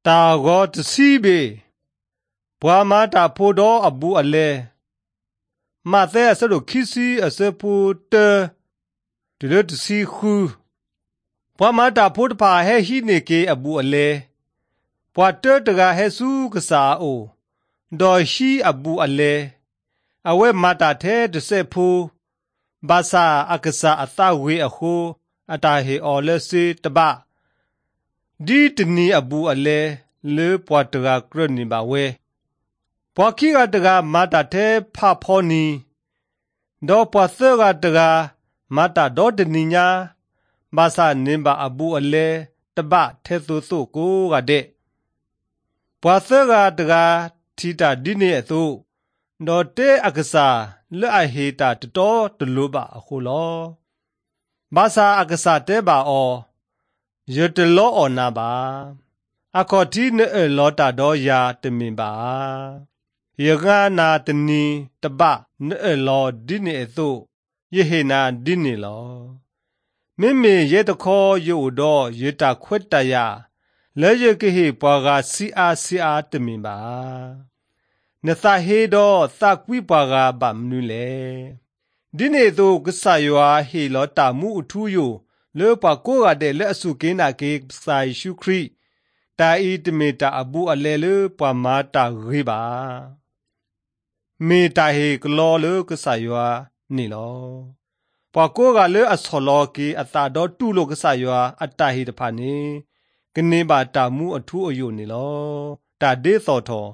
တာဂောတစီဘေဘွာမာတာဖိုဒောအဘူအလဲမာသဲအစတို့ခီစီအစပူတတလတစီခူဘွာမာတာဖိုတဖာဟဲဟိနေကေအဘူအလဲဘွာတတကဟဲစုကစားအိုဒေါ်ရှိအဘူအလဲအဝဲမာတာထဲတဆက်ဖူဘာသာအကစားအသဝေအခိုအတာဟေအော်လက်စီတပဒီတနီအဘူအလဲလေပွားတကကရနိပါဝဲပွာခိကတကမာတာထဲဖဖောနီဒေါ်ပွာသကတကမာတာဒေါ်တနီညာဘာသာနင်ပါအဘူအလဲတပထဲသို့သို့ကိုကတဲ့ပွာသကတကထီတာဒီနေအသို့ဒေါ်တဲအကစားလက်အဟေတာတတော်တလို့ပါအခုလောဘာသာအကစားတဲပါအောရတလောအောနာပါအခေါ်တီနေလောတာတော့ယာတမင်ပါယဂနာတနီတပနေလောဒီနေသို့ယေဟေနာဒီနေလောမိမေယေတခေါ်ယိုတော့ယေတာခွတ်တယလဲယကိဟေပွာကစီအာစီအာတမင်ပါနသဟေတော့သကွိပွာကဗမနုလေဒီနေသို့ကဆာယွာဟေလောတာမှုအထူးယိုလောပကိုရတဲ့လက်အစုကင်းနာကေဆိုင်ရှုခရိတာဤတမေတာအဘူအလဲလပွာမာတာရေပါမေတာဟေကလောလကဆာယွာနေလောပွာကိုကလေအဆောလောကေအတာတော့တူလို့ကဆာယွာအတဟေတဖာနေကနေပါတာမှုအထူးအယုနေလောတာဒေသောထော